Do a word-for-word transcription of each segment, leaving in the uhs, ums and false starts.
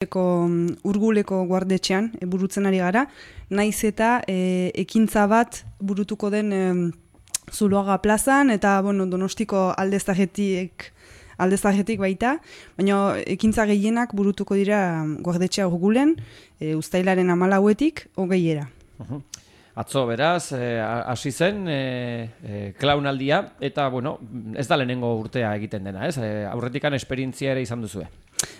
Urguleko guardetxean e, burutzen ari gara, naiz eta e, ekintza bat burutuko den e, Zuloaga plazan eta bueno, Donostiko aldezarretik aldezarretik baita, baina ekintza gehienak burutuko dira guardetxea Urgulen, e, uztailaren hamalauetik hogeiera. Uh-huh. Atzo beraz, hasi eh, zen eh, eh, klaunaldia eta bueno, ez da lehenengo urtea egiten dena, ez? Eh, aurretikan esperientzia ere izan duzue.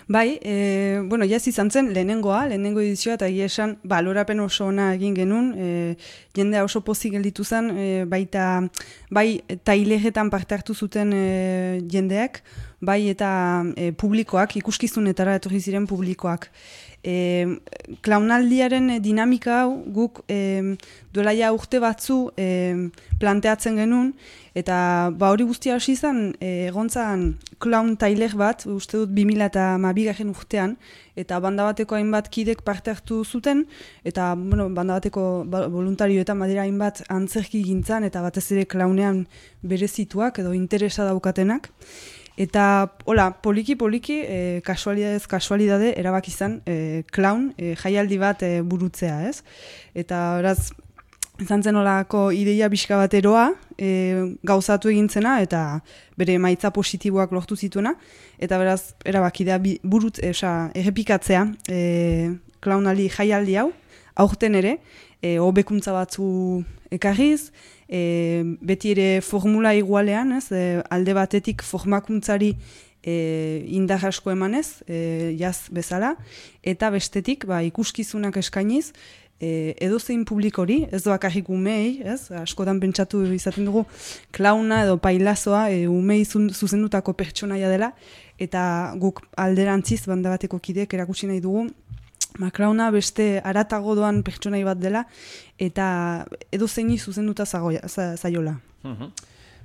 Bai, e, bueno, jaz izan zen lehenengoa, lehenengo edizioa, eta egia esan balorapen oso ona egin genuen, e, jendea oso pozik gelditu zen, e, baita, bai taileretan parte hartu zuten e, jendeak, bai eta e, publikoak, ikuskizunetara etorri ziren publikoak. E, klaunaldiaren dinamika hau guk e, duela ja urte batzu e, planteatzen genuen, eta ba hori guztia hasi izan e, egontzan klaun tailer bat, uste dut bi mila hamabigarren urtean, eta banda bateko hainbat kidek parte hartu zuten, eta bueno, banda bateko voluntarioetan badira hainbat antzerki gintzan, eta batez ere klaunean berezituak edo interesa daukatenak. Eta, hola, poliki-poliki, e, kasualidadez kasualidade, erabak izan, e, klaun, e, jaialdi bat e, burutzea, ez? Eta, beraz, izan zen olako ideia pixka bat eroa, e, gauzatu egintzena, eta bere emaitza positiboak lortu zituena, eta beraz, erabakidea burut, esa, errepikatzea, e, klaunaldi jaialdi hau, aurten ere, e, hobekuntza batzu ekarriz, e, beti ere formula igualean, ez, e, alde batetik formakuntzari e, indar asko emanez, e, jaz bezala, eta bestetik ba, ikuskizunak eskainiz, e, edozein publikori, ez doak arrik umei, ez, askotan pentsatu izaten dugu, klauna edo pailazoa e, umei zuzendutako pertsonaia dela, eta guk alderantziz banda bateko kideek erakutsi nahi dugu, Maklauna beste aratago doan pertsonai bat dela eta edo zeini zuzenduta zaiola. Uh-huh.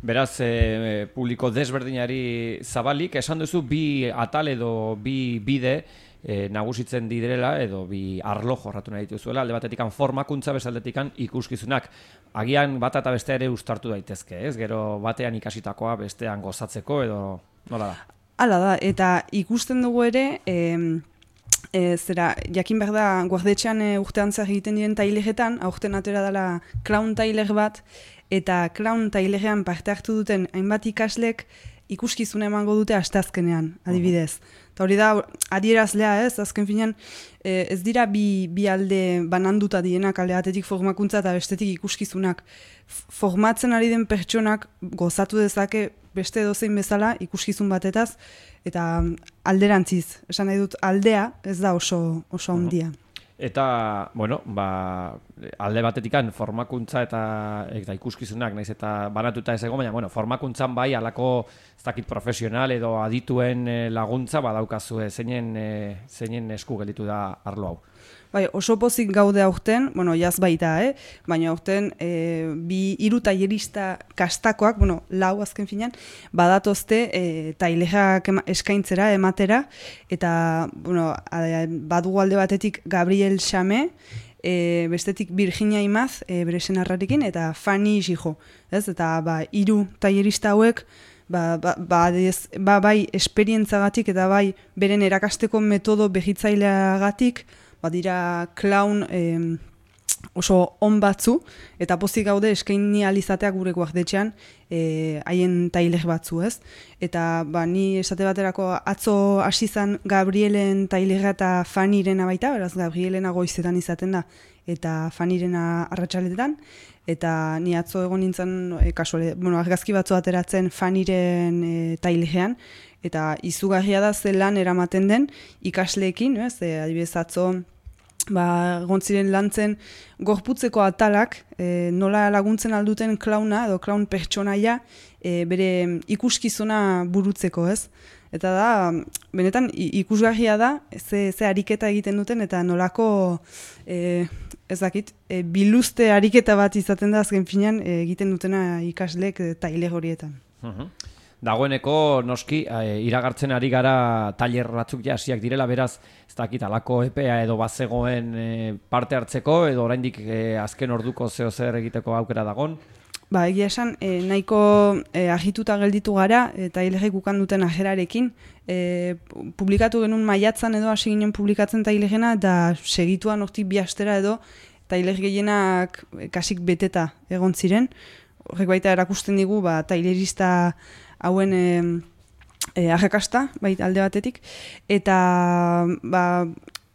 Beraz, e, publiko desberdinari zabalik, esan duzu bi atal edo bi bide e, nagusitzen direla edo bi arlo jorratu nahi dituzuela, alde batetikan formakuntza, bezaldetikan ikuskizunak. Agian bat eta beste ere uztartu daitezke, ez? Gero batean ikasitakoa bestean gozatzeko edo nola da? Hala da, eta ikusten dugu ere... E, E, zera, jakin behar da, guardetxean e, urtean zer egiten diren taileretan, aurten atera dela klaun tailer bat, eta klaun tailerean parte hartu duten hainbat ikaslek ikuskizuna emango dute asteazkenean, adibidez. Eta hori da, adierazlea ez, azken finean, e, ez dira bi, bi alde bananduta dienak, alde batetik formakuntza eta bestetik ikuskizunak. Formatzen ari den pertsonak gozatu dezake beste edozein bezala ikuskizun batetaz, eta alderantziz, esan nahi dut aldea ez da oso, oso handia. Eta, bueno, ba, alde batetikan formakuntza eta, eta ikuskizunak, naiz eta banatuta ez egon, baina, bueno, formakuntzan bai alako ez dakit profesional edo adituen laguntza badaukazue, zeinen, zeinen esku gelditu da arlo hau. Bai, oso pozik gaude aurten, bueno, jaz baita, eh? Baina aurten e, bi hiru tailerista kastakoak, bueno, lau azken finean, badatozte e, tailerak eskaintzera, ematera, eta, bueno, badugu alde batetik Gabriel Xame, e, bestetik Virginia Imaz, e, bere senarrarekin, eta Fanny Xijo, ez? Eta, ba, hiru tailerista hauek, ba, ba, ba, ez, ba, bai, esperientzagatik eta bai, beren erakasteko metodo behitzaileagatik, badira klaun eh, oso on batzu, eta pozik gaude eskaini alizateak gure guardetxean haien eh, tailer batzu, ez? Eta ba, ni esate baterako atzo hasi zan Gabrielen tailera eta Fanirena baita, beraz Gabrielena goizetan izaten da, eta Fanirena arratsaletan, eta ni atzo egon nintzen e, kasuale, bueno, argazki batzu ateratzen Faniren e, tailerean, eta izugarria da ze lan eramaten den ikasleekin, ez? E, adibidez atzo ba, gontziren lantzen gorputzeko atalak, e, nola laguntzen alduten klauna edo klaun pertsonaia e, bere ikuskizuna burutzeko, ez? Eta da, benetan ikusgarria da, ze, ze ariketa egiten duten, eta nolako, e, ez dakit, e, biluzte ariketa bat izaten da azken finean e, egiten dutena ikaslek e, tailer horietan. Uh-huh. Dagoeneko noski e, iragartzen ari gara tailer batzuk ja hasiak direla, beraz ez dakit alako epea edo bazegoen e, parte hartzeko edo oraindik e, azken orduko zeo zer egiteko aukera dagon. Ba, egia esan, e, nahiko e, agituta gelditu gara, eta tailegek ukan duten ajerarekin. E, publikatu genuen maiatzan edo hasi ginen publikatzen tailegena, eta segituan hortik bi astera edo, taileg gehienak kasik beteta egon ziren. Horrek baita erakusten digu, ba, tailerista hauen e, e, arrakasta, baita alde batetik. Eta, ba,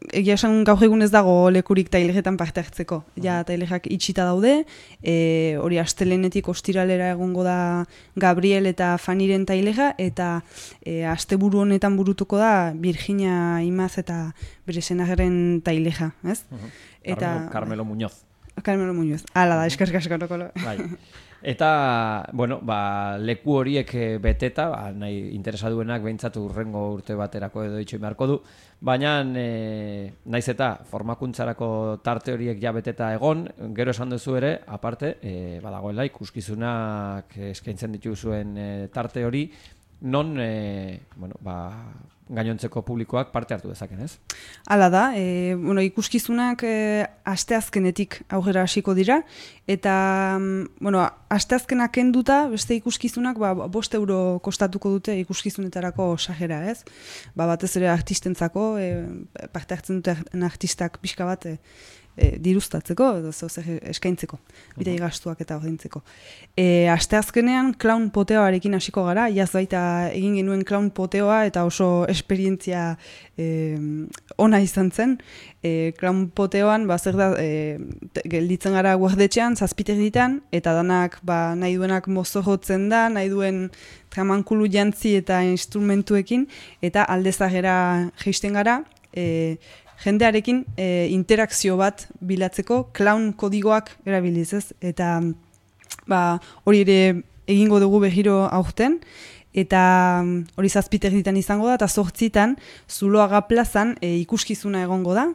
egia esan gaur egun ez dago lekurik tailegetan parte hartzeko. Ja, tailegak itxita daude, e, hori astelenetik ostiralera egongo da Gabriel eta Faniren tailega, eta e, asteburu honetan burutuko da Virginia Imaz eta bere senageren tailega, ez? Uh-huh. Eta, Carmelo, Carmelo Muñoz. Carmelo Muñoz. Hala da, eskerrik asko nokolo. Bai. Eta, bueno, ba, leku horiek beteta, ba, nahi interesa duenak behintzat urrengo urte baterako edo itxoi beharko du, baina e, naiz eta formakuntzarako tarte horiek ja beteta egon, gero esan duzu ere, aparte, e, badagoela ikuskizunak eskaintzen dituzuen e, tarte hori, non, e, bueno, ba, gainontzeko publikoak parte hartu dezaken, ez? Hala da, e, bueno, ikuskizunak e, asteazkenetik aurrera hasiko dira, eta, bueno, asteazkenak kenduta, beste ikuskizunak, ba, bost euro kostatuko dute ikuskizunetarako sajera, ez? Ba, batez ere artistentzako, e, parte hartzen duten artistak pixka bat, e, E, diruztatzeko, edo zer eskaintzeko, bidei gastuak eta ordaintzeko. E, asteazkenean clown poteoarekin hasiko gara, jaz baita egin genuen clown poteoa eta oso esperientzia e, ona izan zen. E, clown poteoan, ba, zer da, e, gelditzen gara guardetxean, zazpiter ditan, eta danak ba, nahi duenak mozorrotzen da, nahi duen tramankulu jantzi eta instrumentuekin, eta aldezagera geisten gara, e, jendearekin e, interakzio bat bilatzeko clown kodigoak erabiliz, ez? Eta ba, hori ere egingo dugu behiro aurten, eta hori zazpiter ditan izango da, eta zortzitan Zuloaga plazan e, ikuskizuna egongo da,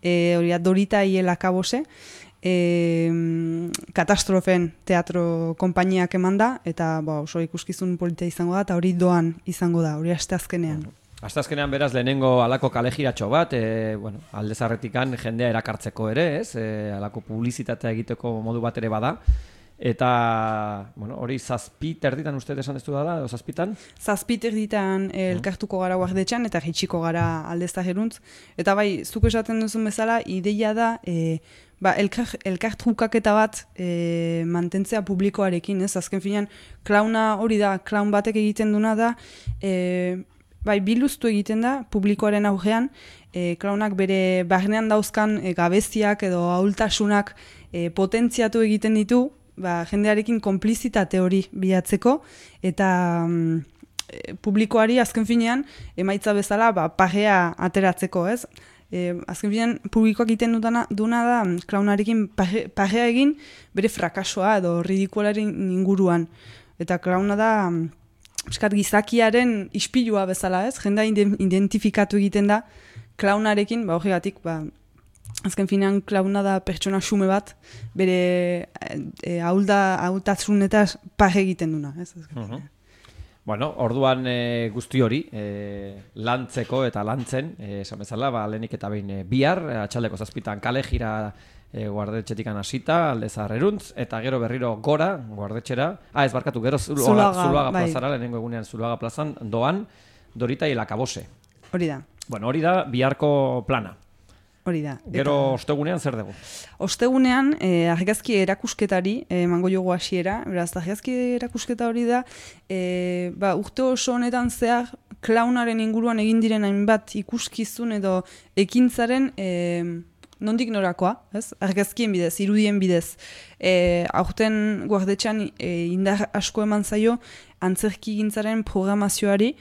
e, hori Dorita Iela Kabose, e, Katastrofen teatro konpainiak eman da, eta ba, oso ikuskizun polita izango da, eta hori doan izango da, hori asteazkenean. Asteazkenean beraz lehenengo alako kalejiratxo bat, e, bueno, aldezarretikan jendea erakartzeko ere, ez? E, alako publizitatea egiteko modu bat ere bada. Eta, bueno, hori zazpi terditan uste esan dezu da, edo zazpitan? Zazpi terditan elkartuko gara guardetxan eta hitxiko gara aldezarreruntz. Eta bai, zuk esaten duzun bezala, ideia da, e, ba, elkar, elkartrukaketa bat e, mantentzea publikoarekin, ez? Azken finean, klauna hori da, klaun batek egiten duna da, e, bai, biluztu egiten da, publikoaren aurrean, e, klaunak bere barnean dauzkan e, gabeziak edo ahultasunak e, potentziatu egiten ditu, ba, jendearekin konplizitate hori bilatzeko, eta mm, e, publikoari azken finean, emaitza bezala, ba, pagea ateratzeko, ez? E, azken finean, publikoak egiten dutana, duna da, klaunarekin page, pagea egin bere frakasoa edo ridikularen inguruan. Eta klauna da, eskat gizakiaren ispilua bezala, ez? Jendea identifikatu egiten da klaunarekin, ba horregatik, ba, azken finean klauna da pertsona xume bat, bere e, ahultasunetaz page egiten duna, ez? Uh-huh. Bueno, orduan e, guzti hori, e, lantzeko eta lantzen, e, esan bezala, ba, lehenik eta behin e, bihar, atxaldeko zazpitan kale jira e, guardetxetikan hasita, aldezarreruntz, eta gero berriro gora, guardetxera, ah, ez barkatu, gero Zuloaga, Zuloaga, Zuloaga bai. Plazara, lehenengo egunean Zuloaga plazan, doan, Dorita Iela Kabose. Hori da. Bueno, hori da biharko plana. Hori da. Gero eta... ostegunean zer dugu? Ostegunean, eh, argazki erakusketari, emango eh, jogo hasiera, beraz, argazki erakusketa hori da, eh, ba, urte oso honetan zehar, klaunaren inguruan egin diren hainbat ikuskizun edo ekintzaren eh, nondik norakoa, ez? Argazkien bidez, irudien bidez. E, aurten guardetxan e, indar asko eman zaio antzerki gintzaren programazioari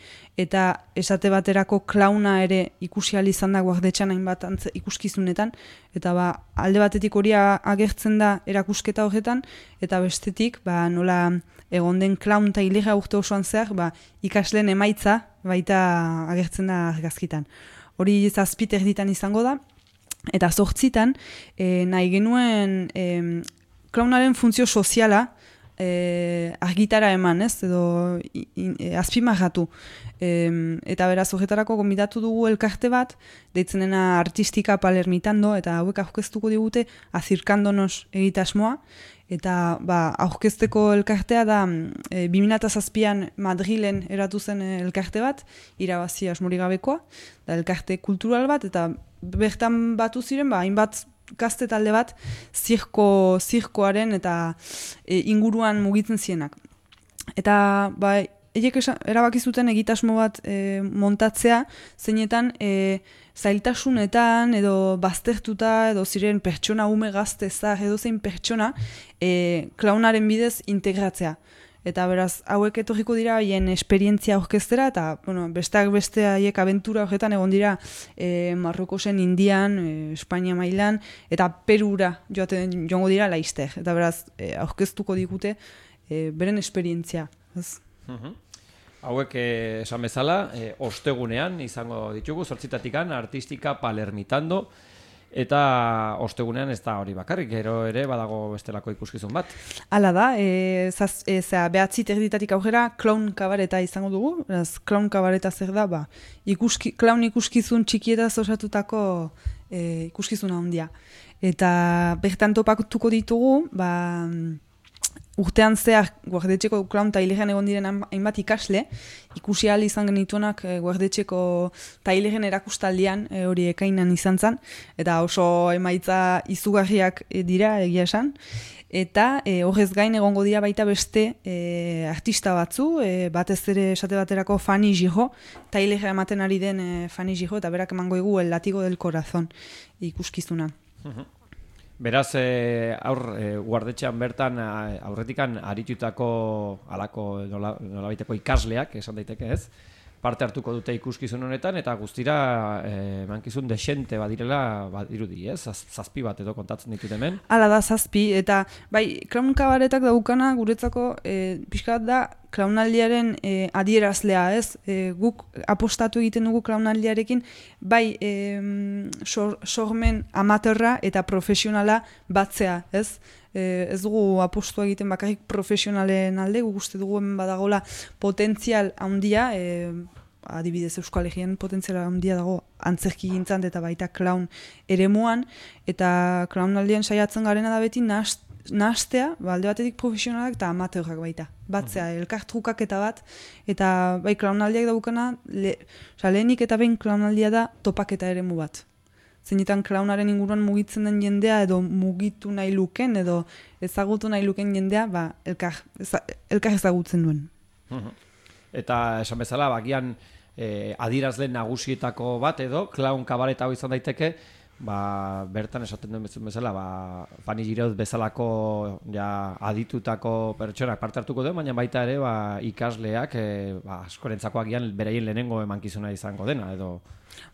eta esate baterako klauna ere ikusi ahal izan da guardetxan hainbat ikuskizunetan eta ba, alde batetik hori agertzen da erakusketa horretan eta bestetik ba, nola egon den klaun tailega urte osoan zehar ba, ikasleen emaitza baita agertzen da argazkitan. Hori zazpiter ditan izango da. Eta zortzitan, e, nahi genuen e, klaunaren funtzio soziala e, argitara eman, ez, edo e, azpimarratu. E, eta beraz, horretarako gonbidatu dugu elkarte bat, deitzen dena Artistika Palermitando, eta hauek aurkeztuko digute Azirkandonos egitasmoa, eta ba, aurkezteko elkartea da e, bi mila zazpian Madrilen eratu zen elkarte bat, irabazi asmorik gabekoa, da elkarte kultural bat, eta bertan batu ziren, ba, hainbat gazte talde bat zirko, zirkoaren eta e, inguruan mugitzen zienak. Eta ba, eiek erabaki zuten egitasmo bat e, montatzea, zeinetan e, zailtasunetan edo baztertuta edo ziren pertsona ume gazte zar edo zein pertsona e, klaunaren bidez integratzea. Eta beraz, hauek etorriko dira haien esperientzia aurkeztera, eta bueno, besteak beste haiek abentura horretan egon dira e, Marrokosen, Indian, e, Espainia mailan, eta Perura joaten joango dira laizter. Eta beraz, e, aurkeztuko digute e, beren esperientzia. Ez? Mhm. Hauek eh, esan bezala, eh, ostegunean izango ditugu, zortzitatikan, Artistika Palermitando, eta ostegunean ez da hori bakarrik, gero ere badago bestelako ikuskizun bat. Hala da, e, zaz, e, zera, behatzi terditatik aurrera, klaun kabareta izango dugu, beraz, klaun kabareta zer da, ba, ikuski, klaun ikuskizun txikietaz osatutako e, ikuskizuna handia. Eta bertan topatuko ditugu, ba, urtean zehar guardetxeko klaun tailegen egon diren hainbat ikasle, ikusi ahal izan genituenak e, guardetxeko tailegen erakustaldian e, hori ekainan izan zen, eta oso emaitza izugarriak e, dira egia esan, eta e, horrez gain egongo dira baita beste e, artista batzu, e, batez ere esate baterako Fanny Giraud, tailege ematen ari den e, Fanny Giraud, eta berak emango egu El Latigo del Corazón ikuskizuna. Uh-huh. Beraz, e, aur, e, guardetxean bertan aurretikan aritutako alako nola, nolabaiteko ikasleak, esan daiteke ez, parte hartuko dute ikuskizun honetan, eta guztira e, mankizun desente badirela badirudi, ez? Zaz, zazpi bat edo kontatzen ditut hemen. Hala da, zazpi, eta bai, klaun kabaretak daukana guretzako e, pixka bat da klaunaldiaren e, adierazlea, ez? E, guk apostatu egiten dugu klaunaldiarekin, bai e, sor, sormen amaterra eta profesionala batzea, ez? E, ez dugu apostu egiten bakarrik profesionalen alde, guk uste dugu hemen badagola potentzial handia, e, adibidez Euskal Herrian potentziala handia dago antzerki gintzan eta baita klaun eremuan, eta klaunaldian saiatzen garena da beti nahast, nahastea, ba, alde batetik profesionalak eta amateurrak baita. Batzea, mm-hmm. elkartrukak eta bat, eta bai klaunaldiak daukana, le, lehenik eta behin klaunaldia da topaketa eremu bat. Zeinetan klaunaren inguruan mugitzen den jendea edo mugitu nahi luken edo ezagutu nahi luken jendea ba, elkar, eza, elkar ezagutzen duen. Mm-hmm. Eta esan bezala, bagian eh, adirazle nagusietako bat edo, klaun kabareta hau izan daiteke, ba, bertan esaten duen bezala, ba, Fanny Giraud bezalako ja, aditutako pertsonak parte hartuko duen, baina baita ere ba, ikasleak e, ba, askorentzako agian beraien lehenengo emankizuna izango dena, edo...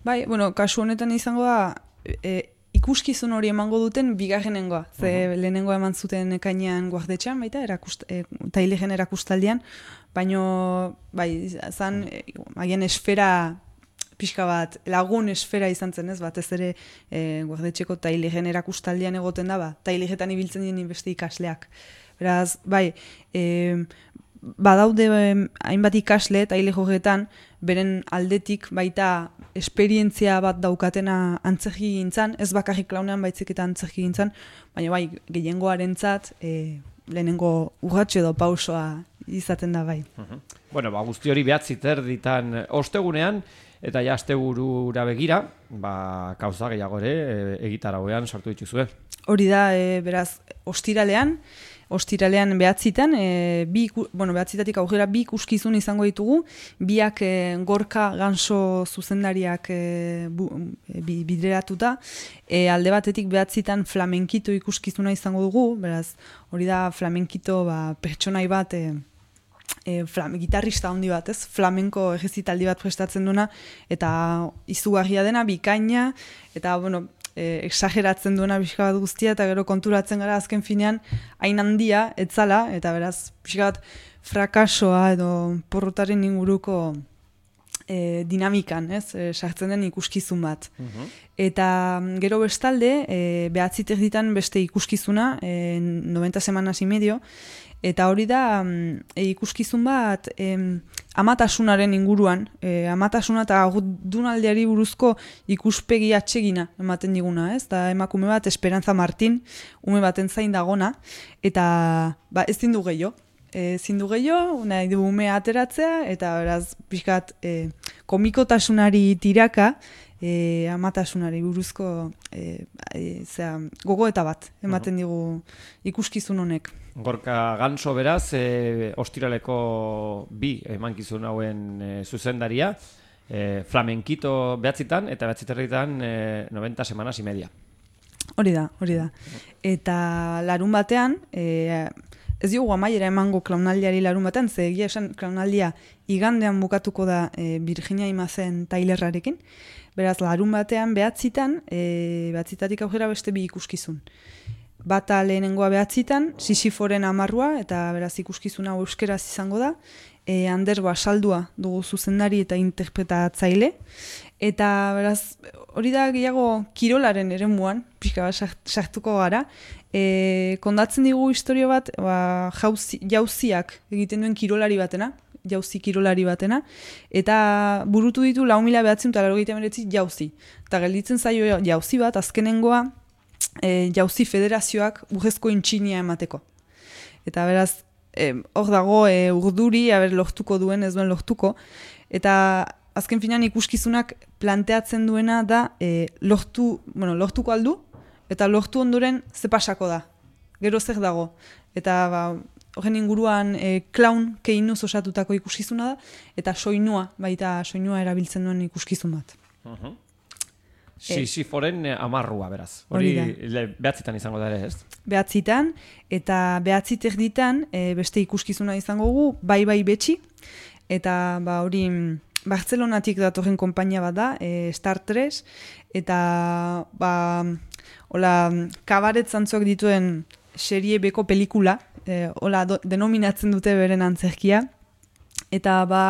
Bai, bueno, kasu honetan izango da, e, ikuskizun hori emango duten bigarrenengoa, ze uh-huh. lehenengoa eman zuten ekainean guardetxean, baita, erakust, e, tailegen erakustaldian, baino, bai, zan, e, agian esfera... pixka bat, lagun esfera izan zen, ez, batez ere e, guardetxeko tailegen erakustaldian egoten da, ba, tailegetan ibiltzen dien beste ikasleak. Beraz, bai, e, badaude e, hainbat ikasle tailege horretan, beren aldetik baita esperientzia bat daukatena antzerki gintzan, ez bakarrik klaunean baitzik eta antzerki gintzan, baina bai, gehiengoarentzat e, lehenengo urratxo edo pausoa izaten da bai. Uh-huh. Bueno, ba, guzti hori behatzi terditan ostegunean, eta ja asteburura begira, ba, kauza gehiago ere e, egitarauean sartu dituzue. Hori da, e, beraz, ostiralean, ostiralean behatzitan, e, bi, bueno, behatzitatik aurrera bi ikuskizun izango ditugu, biak e, Gorka Ganso zuzendariak e, bu, e, bideratuta, e, alde batetik behatzitan flamenkito ikuskizuna izango dugu, beraz, hori da flamenkito ba, pertsonai bat, e, E, flam, gitarrista handi bat, ez? Flamenko egizitaldi bat prestatzen duna, eta izugarria dena, bikaina, eta, bueno, e, exageratzen duena pixka bat guztia, eta gero konturatzen gara azken finean, hain handia, etzala, eta beraz, pixka bat frakasoa edo porrotaren inguruko e, dinamikan, ez? E, sartzen den ikuskizun bat. Uh-huh. Eta gero bestalde, e, behatziter ditan beste ikuskizuna, e, noventa semanas y medio, Eta hori da e, ikuskizun bat em, amatasunaren inguruan, e, amatasuna eta agudunaldiari buruzko ikuspegi atsegina ematen diguna, ez? Da emakume bat Esperanza Martin, ume baten zain dagona, eta ba, ez zindu gehiago. E, zindu gehiago, nahi du umea ateratzea, eta beraz, pixkat, e, komikotasunari tiraka, E, amatasunari buruzko e, e, zera, gogoeta bat ematen digu ikuskizun honek. Gorka Ganso beraz, e, ostiraleko bi emankizun hauen e, zuzendaria, e, flamenkito behatzitan eta behatziterritan e, noventa semanas y media. Hori da, hori da. Eta larun batean, e, ez dugu amaiera emango klaunaldiari larun batean, ze egia esan klaunaldia igandean bukatuko da e, Virginia Imazen Tylerrarekin. Beraz, larun batean behatzitan, e, behatzitatik aurrera beste bi ikuskizun. Bata lehenengoa behatzitan, Sisiforen amarrua, eta beraz ikuskizuna euskeraz izango da, e, Ander Basaldua dugu zuzendari eta interpretatzaile, eta beraz, hori da gehiago kirolaren eremuan, pixka bat sartuko gara, e, kondatzen digu historio bat, ba, jauzi, jauziak egiten duen kirolari batena, jauzi kirolari batena, eta burutu ditu lau mila behatzen eta laurogeita hemeretzi jauzi. Eta gelditzen zaio jauzi bat, azkenengoa e, jauzi federazioak urrezko intxinia emateko. Eta beraz, hor e, dago e, urduri, aber lortuko duen, ez duen lortuko, eta azken finan ikuskizunak planteatzen duena da e, lortu, bueno, lortuko aldu, eta lortu ondoren ze pasako da. Gero zer dago. Eta ba, horren inguruan e, klaun keinuz osatutako ikuskizuna da, eta soinua, baita soinua erabiltzen duen ikuskizun bat. Uh-huh. Sisiforen e, amarrua, beraz. Hori behatzitan izango da ere, ez? Behatzitan, eta behatzit erditan e, beste ikuskizuna izango gu, bai bai betxi, eta ba, hori Bartzelonatik datorren konpainia bat da, e, Star tres, eta ba, hola, kabaret zantzuak dituen serie beko pelikula, e, hola, do, denominatzen dute beren antzerkia, eta ba,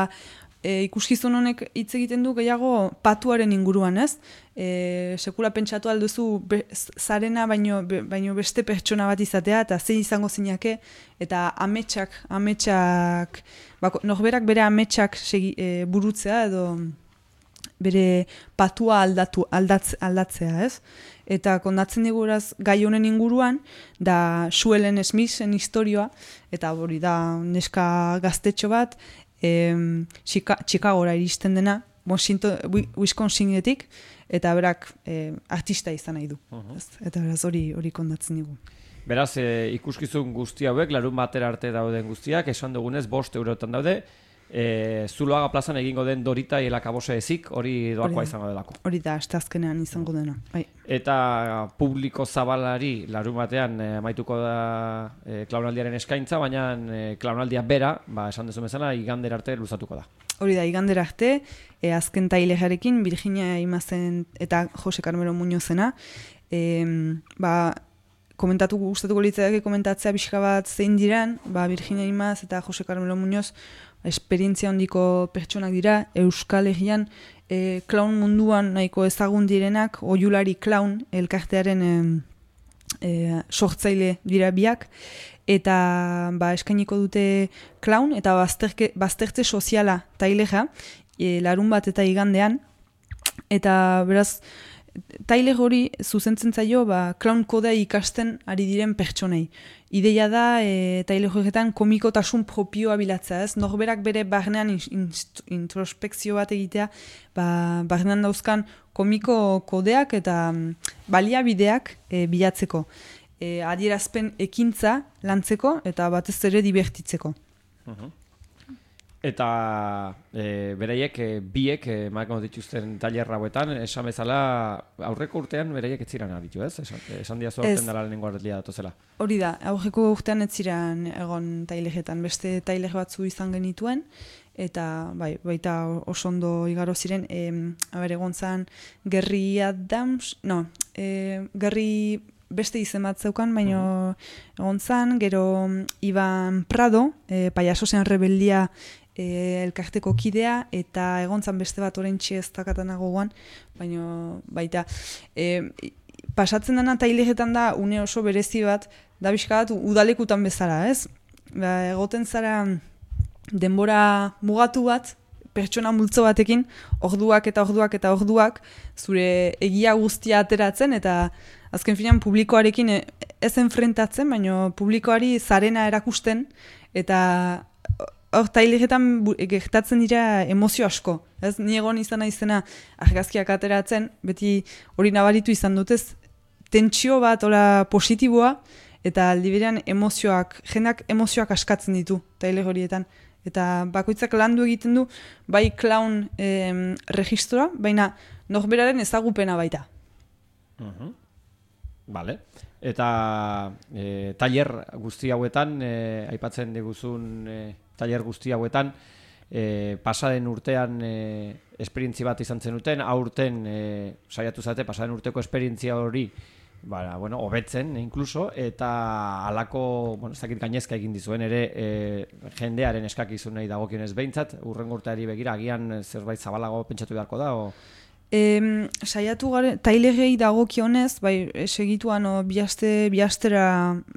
e, ikuskizun honek hitz egiten du gehiago patuaren inguruan, ez? E, sekula pentsatu alduzu be, zarena baino, be, baino beste pertsona bat izatea, eta zein izango zinake, eta ametsak, ametsak, bako, norberak bere ametsak segi, e, burutzea, edo bere patua aldatu, aldatz, aldatzea, ez? Eta kondatzen diguraz gai honen inguruan, da Suelen Smithen historioa, eta hori da neska gaztetxo bat, em, Chicagora iristen dena, Wisconsinetik, eta berak e, artista izan nahi du. Uh-huh. Eta beraz hori hori kondatzen digu. Beraz, e, ikuskizun guzti hauek, larun batera arte dauden guztiak, esan dugunez, bost eurotan daude, e, Zuloaga plazan egingo den Dorita elakabose ezik, hori doakoa izango delako. Hori da, asteazkenean izango dena. Bai. Eta publiko zabalari larun batean e, amaituko da e, klaunaldiaren eskaintza, baina e, klaunaldia bera, ba, esan dezu bezala, igander arte luzatuko da. Hori da, igander arte, e, azken tailejarekin, Virginia Imazen eta Jose Carmelo Muñozena, e, ba, komentatu gustatuko litzake komentatzea pixka bat zein diran, ba, Virginia Imaz eta Jose Carmelo Muñoz esperientzia handiko pertsonak dira, Euskal Herrian e, klaun munduan nahiko ezagun direnak, Oiulari Klaun elkartearen e, e, sortzaile dira biak, eta ba, eskainiko dute klaun eta bazterke, baztertze soziala taileja, e, larun bat eta igandean, eta beraz, taile hori zuzentzen zaio ba, klaun kodea ikasten ari diren pertsonei. Ideia da, e, taile horretan komikotasun propioa bilatzea, ez? Norberak bere barnean introspekzio bat egitea, ba, barnean dauzkan komiko kodeak eta baliabideak e, bilatzeko. E, adierazpen ekintza lantzeko eta batez ere divertitzeko. Uh-huh. Eta e, bereiek, e, biek, emaiko dituzten tailer hauetan, esan bezala, aurreko urtean bereiek ez ziren aditu, ez? Esan, esan diazu aurten dara lehenengo arrelia datozela. Hori da, aurreko urtean ez ziren egon taileretan, beste tailer batzu izan genituen, eta bai, baita oso ondo igaro ziren, e, aber, egon zan, Gerri Adams, no, e, Gerri beste izen bat zeukan, baina uh-huh. egon zan, gero Iban Prado, e, Payasosen rebeldia e, elkarteko kidea, eta egon zan beste bat oraintxe ez dakatanago guan, baina baita, e, pasatzen dena taileretan da une oso berezi bat, da bizka bat udalekutan bezala, ez? ba, egoten zara denbora mugatu bat, pertsona multzo batekin, orduak eta orduak eta orduak, zure egia guztia ateratzen, eta azken finean publikoarekin ez enfrentatzen, baina publikoari zarena erakusten, eta hor taileretan gertatzen dira emozio asko. Ez, ni egon izan naizena argazkiak ateratzen, beti hori nabaritu izan dutez, tentsio bat, ora positiboa, eta aldi berean emozioak, jendeak emozioak askatzen ditu taile horietan. Eta bakoitzak landu egiten du, bai clown eh, registroa, baina norberaren ezagupena baita. Uh-huh. Vale. Eta e, tailer guzti hauetan, e, aipatzen diguzun e, tailer guzti hauetan, e, pasaden urtean e, esperientzi bat izan zenuten, aurten e, saiatu zate, pasaden urteko esperientzia hori Bara, bueno, hobetzen, inkluso, eta halako, bueno, ez dakit gainezka egin dizuen ere e, jendearen eskakizunei dagokionez behintzat, urrengo urteari begira, agian zerbait zabalago pentsatu beharko da, o... E, saiatu garen, tailegei dagokionez, bai, segituan, o, biaste, biastera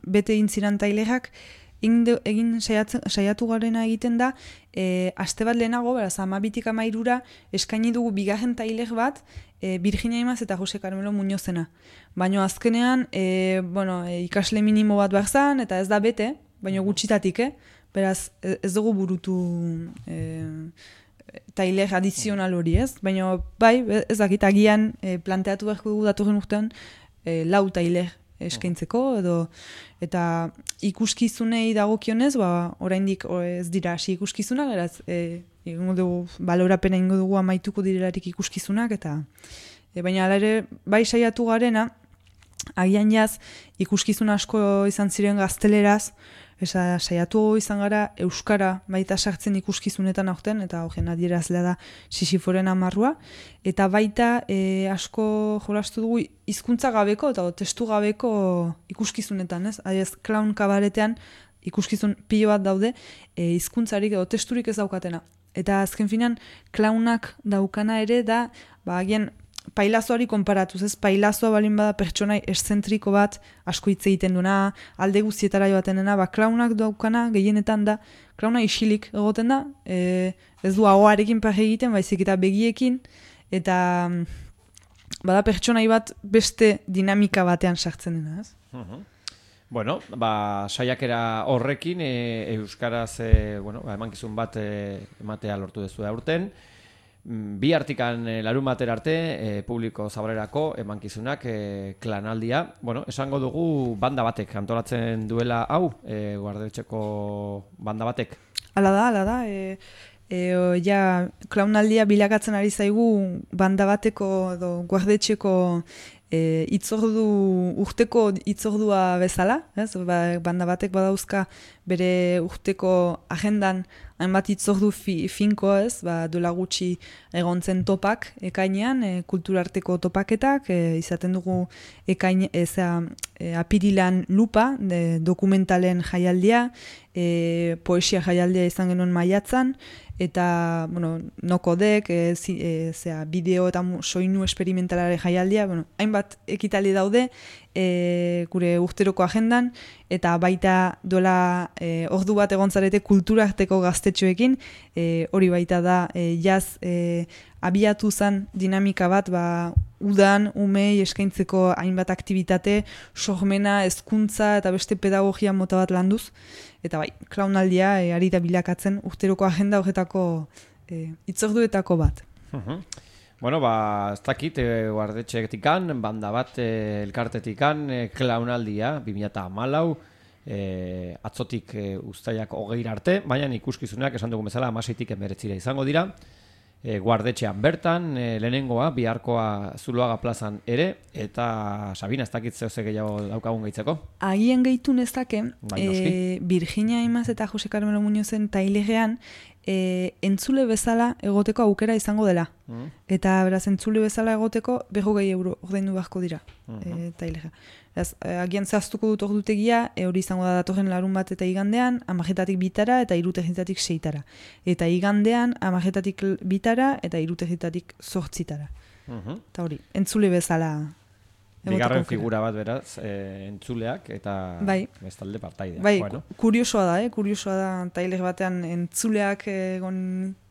bete intziran tailegak, egin saiatu, saiatu garena egiten da, e, aste bat lehenago, beraz, amabitik amairura, eskaini dugu bigarren taileg bat, e, Virginia Imaz eta Jose Carmelo Muñozena. Baina azkenean, e, bueno, e, ikasle minimo bat behar zan, eta ez da bete, baina gutxitatik, eh? Beraz, ez dugu burutu e, taileg adizional hori, ez? Baina, bai, ez dakit, agian e, planteatu beharko dugu datorren urtean, e, lau taileg eskaintzeko, edo, eta ikuskizunei dagokionez, ba, oraindik ez dira hasi ikuskizunak, eraz, e, ingo dugu, balorapena ingo dugu amaituko direlarik ikuskizunak, eta e, baina ala ere, bai saiatu garena, agian jaz, ikuskizun asko izan ziren gazteleraz, esa, saiatu izan gara euskara baita sartzen ikuskizunetan aurten, eta horren adierazlea da Sisiforen amarrua, eta baita e, asko jolastu dugu hizkuntza gabeko eta testu gabeko ikuskizunetan, ez? Adiez, clown kabaretean ikuskizun pilo bat daude, e, hizkuntzarik edo testurik ez daukatena. Eta azken finan, clownak daukana ere da, ba, agian, pailazoari konparatuz, ez? Pailazoa balin bada pertsonai eszentriko bat, asko hitz egiten duna, alde guztietara joaten dena, ba, clownak daukana gehienetan da, clowna isilik egoten da, e, ez du ahoarekin paje egiten, baizik eta begiekin, eta bada pertsonai bat beste dinamika batean sartzen dena, ez? Uh-huh. Bueno, ba, saiakera horrekin, e, euskaraz, e, bueno, ba, emankizun bat e, ematea lortu dezu aurten, bi artikan e, larun batera arte, e, publiko zabalerako emankizunak e, klanaldia. Bueno, esango dugu banda batek antolatzen duela hau, e, Guardetxeko banda batek. Hala da, hala da. E, e, ja, klaunaldia bilakatzen ari zaigu banda bateko edo Guardetxeko e, itzordu, urteko itzordua bezala. Ez? Ba, banda batek badauzka bere urteko agendan hainbat itzordu fi, finko, ez, ba, dola gutxi egontzen topak ekainean, e, kulturarteko topaketak, e, izaten dugu ekain, eza, e, apirilan lupa, de, dokumentalen jaialdia, e, poesia jaialdia izan genuen maiatzan, eta, bueno, nokodek, e, zi, e, zera, bideo eta soinu esperimentalare jaialdia, bueno, hainbat ekitali daude, e, gure urteroko agendan, eta baita dola e, ordu bat egontzarete kulturarteko gaztetxoekin, e, hori baita da e, jaz e, abiatu zen dinamika bat, ba, udan, umei eskaintzeko hainbat aktivitate, sormena, hezkuntza eta beste pedagogia mota bat landuz, eta bai, klaunaldia e, ari da bilakatzen urteroko agenda horretako e, itzorduetako bat. Uh-huh. Bueno, ba, ez dakit, e, Guardetxetikan, banda bat, e, elkartetikan, e, klaunaldia, bi mila hamalau, e, atzotik e, uztailak hogeira arte, baina ikuskizunak esan dugun bezala hamaseitik hemeretzira izango dira, e, Guardetxean bertan, e, lehenengoa, biharkoa Zuloaga plazan ere, eta Sabina, ez dakit zehose gehiago daukagun gehitzeko? Agien gehitu nezake, e, Virginia Imaz eta Jose Carmelo Muñozen tailegean, E, entzule bezala egoteko aukera izango dela. Mm. Eta beraz, entzule bezala egoteko berrogei euro ordaindu beharko dira. Mm-hmm. e, tailega. Ez, e, agian zehaztuko dut ordutegia, e, hori izango da datorren larun bat eta igandean, amajetatik bitara eta irutegitatik seitara. Eta igandean, amajetatik bitara eta irutegitatik zortzitara. Mm-hmm. Eta hori, entzule bezala Bigarren figura bat beraz, e, entzuleak eta bai. bestalde partaideak. Bai, bueno. kuriosoa da, eh? kuriosoa da tailer batean entzuleak egon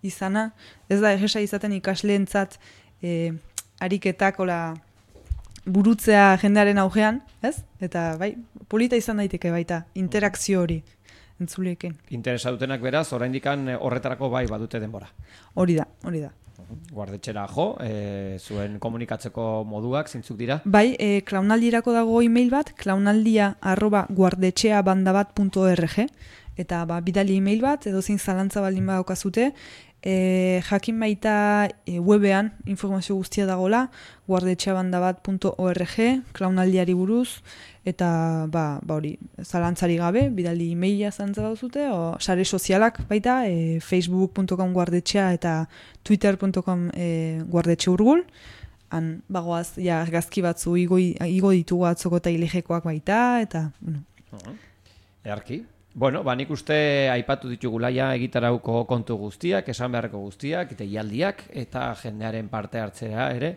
izana. Ez da egesa izaten ikasleentzat e, ariketak ola burutzea jendearen augean, ez? Eta bai, polita izan daiteke baita, interakzio hori entzuleekin. Interesa dutenak beraz, oraindikan horretarako bai badute denbora. Hori da, hori da. Guardetxera jo, e, zuen komunikatzeko moduak zeintzuk dira? Bai, e, klaunaldirako dago e-mail bat, klaunaldia arroba guardetxeabandabat punto org, eta ba, bidali e-mail bat, edo zein zalantza baldin badaukazute, e, jakin baita e, webean informazio guztia dagola, guardetxeabandabat punto org, klaunaldiari buruz, eta ba, ba hori, zalantzari gabe, bidali e-maila zalantza baduzute, o sare sozialak baita, e, facebook punto com guardetxea eta twitter punto com e, guardetxe urgul, han bagoaz ja argazki batzu igo, igo ditugu atzoko tailejekoak baita, eta bueno. Uh-huh. Earki. Bueno, ba, nik uste aipatu ditugula ja egitarauko kontu guztiak, esan beharreko guztiak, eta ialdiak, eta jendearen parte hartzea ere,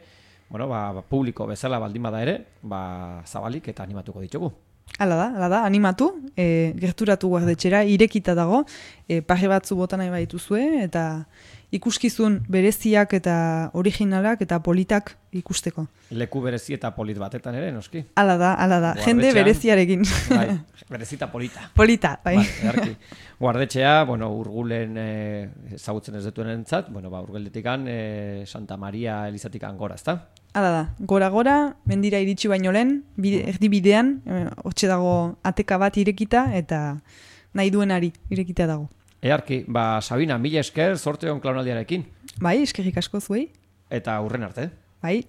bueno, ba, publiko bezala baldin bada ere, ba, zabalik eta animatuko ditugu. Hala da, hala da, animatu, e, gerturatu guardetxera, irekita dago, e, paje batzu bota nahi baituzue, eta ikuskizun bereziak eta originalak eta politak ikusteko. Leku berezi eta polit batetan ere, noski? Hala da, hala da, jende bereziarekin. Bai, berezita polita. Polita, bai. Bai, guardetxea, bueno, urgulen e, ezagutzen ez dituen entzat, bueno, ba, urgeldetikan e, Santa Maria Elizatikan gora, ezta? Hala da, gora-gora, mendira iritsi baino lehen, bide, erdi bidean, e, hortxe dago ateka bat irekita, eta nahi duenari irekita dago. Earki, ba, Sabina, mila esker, zorte hon klaunaldiarekin. Bai, eskerrik asko zuei. Eta hurren arte. Bai.